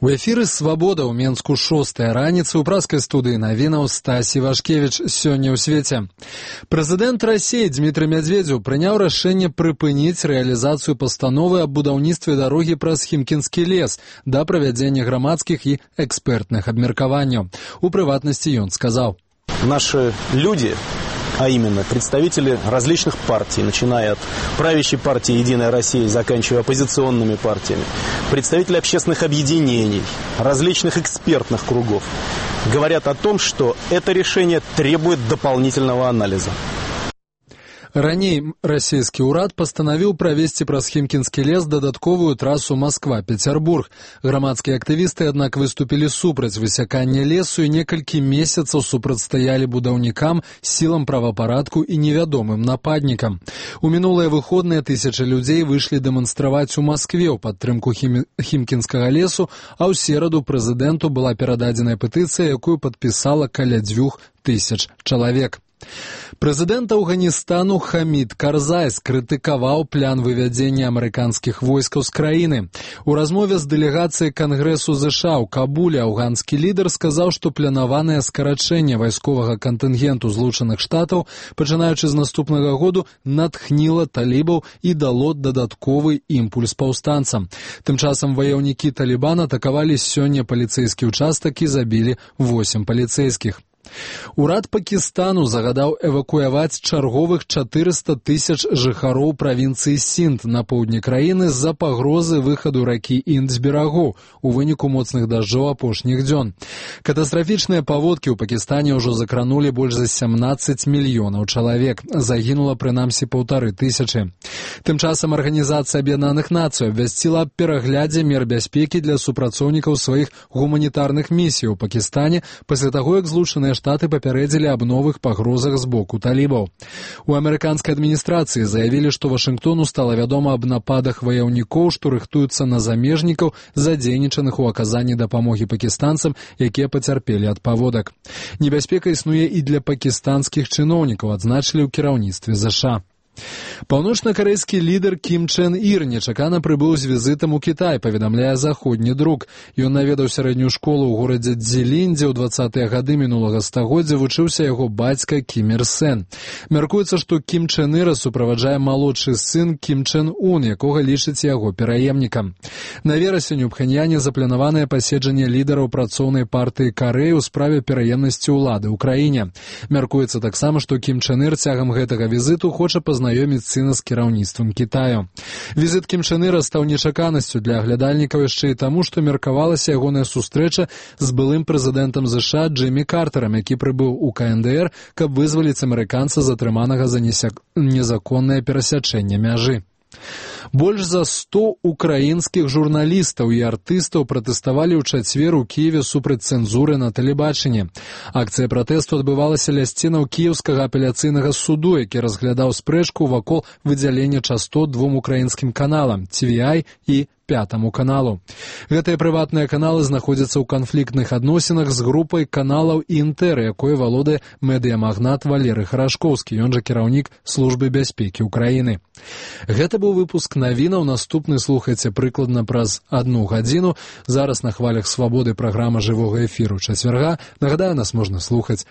У эфіры «Свабода» ў Менску 6-я раніцы ў праскай студыі навінаў Стась Івашкевіч. Сёння ў свеце. Прэзідэнт Расіі Дмітрый Медведзеў прыняў рашэнне прыпыніць рэалізацыю пастановы аб будаўніцтве дарогі праз Хімкінскі лес да правядзення грамадскіх і экспертных абмеркаванняў. У прыватнасці ён сказаў: «Наши люди, а именно представители различных партий, начиная от правящей партии «Единая Россия» и заканчивая оппозиционными партиями, представители общественных объединений, различных экспертных кругов, говорят о том, что это решение требует дополнительного анализа». Раней расійскі ўрад пастанавіў правесці праз Хімкінскі лес дадатковую трасу Масква-Пецярбург. Грамадскія актывісты, аднак, выступілі супраць высякання лесу і некалькі месяцаў супрацьстаялі будаўнікам, сілам правапарадку і невядомым нападнікам. У мінулыя выходныя тысячы людзей выйшлі дэманстраваць у Маскве ў падтрымку Хімкінскага лесу, а ў сераду прэзідэнту была перададзеная петыцыя, якую падпісала каля 2000 чалавек. Прэзідэнт Афганістану Хамід Карзай скрытыкаваў план вывядзення амерыканскіх войскаў з краіны. У размове з дэлегацыяй Кангрэсу ЗША ў Кабуле афганскі лідар сказаў, што планаванае скарачэнне вайсковага кантынгенту Злучаных Штатаў, пачынаючы з наступнага году, натхніла талібаў і дало дадатковы імпульс паўстанцам. Тым часам ваяўнікі Талібана атакавалі сёння паліцэйскі ўчастак і забілі 8 паліцэйскіх. Урад Пакістану загадаў эвакуяваць чарговых 400 000 жыхароў правінцыі Сінд на поўдні краіны з-за пагрозы выхаду ракі Інд з берагоў у выніку моцных дажджоў апошніх дзён. Катастрафічныя паводкі ў Пакістане ўжо закранулі больш за 17 мільёнаў чалавек. Загінула прынамсі 1500. Тым часам Арганізацыя Аб'яднаных Нацый абвясціла аб пераглядзе мер бяспекі для супрацоўнікаў сваіх гуманітарных місій у Пакістане пасля таго, як Злучаныя Штаты папярэдзілі аб новых пагрозах з боку талібаў. У амерыканскай адміністрацыі заявілі, што Вашынгтону стала вядома аб нападах ваяўнікоў, што рыхтуюцца на замежнікаў, задзейнічаных у аказанні дапамогі пакістанцам, якія пацярпелі ад паводак. Небяспека існуе і для пакістанскіх чыноўнікаў, адзначылі ў кіраўніцтве ЗША. Паўночна-карэйскі лідар Кім Чен Ір нечакана прыбыў з візітам у Кітай, паведамляе заходні друк. Ён наведаў сярэднюю школу ў горадзе Цзілінь, дзе ў 20-е гады мінулага стагоддзя вучыўся яго бацька Кім Ір Сен. Мяркуецца, што Кім Чен Іра суправаджае малодшы сын Кім Чен Ун, якога лічыць яго пераемнікам. На верасень у Пхеньяне запланаванае паседжанне лідараў працоўнай партыі Карэі ў справе пераемнасці ўлады ў краіне. Мяркуецца таксама, што Кім Чен Ір цягам гэтага візіту хоча пазнаёміць сына з кіраўніцтвам Кітаю. Візіт Кім Чен Іра стаў нечаканасцю для аглядальнікаў яшчэ і таму, што меркавалася ягоная сустрэча з былым прэзідэнтам ЗША Джиммі Картарам, які прыбыў у КНДР, каб вызваліць амерыканца, затрыманага за незаконнае перасячэнне мяжы. Больш за 100 украінскіх журналістаў і артыстаў пратэставалі ў чацвер у Кіеве супраць цэнзуры на тэлебачанні. Акцыя пратэсту адбывалася ля сценаў Кіеўскага апеляцыйнага суду, які разглядаў спрэчку вакол выдзялення частот двум украінскім каналам – TVI і Пятому каналу. Гэтыя прыватныя каналы знаходзяцца ў канфліктных адносінах з групай каналаў Інтэр, якой валодае медыямагнат Валерый Харашкоўскі, ён жа кіраўнік службы бяспекі ўкраіны. Гэта быў выпуск навінаў. Наступны слухайце прыкладна праз 1 гадзіну. Зараз на хвалях Свабоды праграма жывога эфіру чацвярга. Нагадаю, нас можна слухаць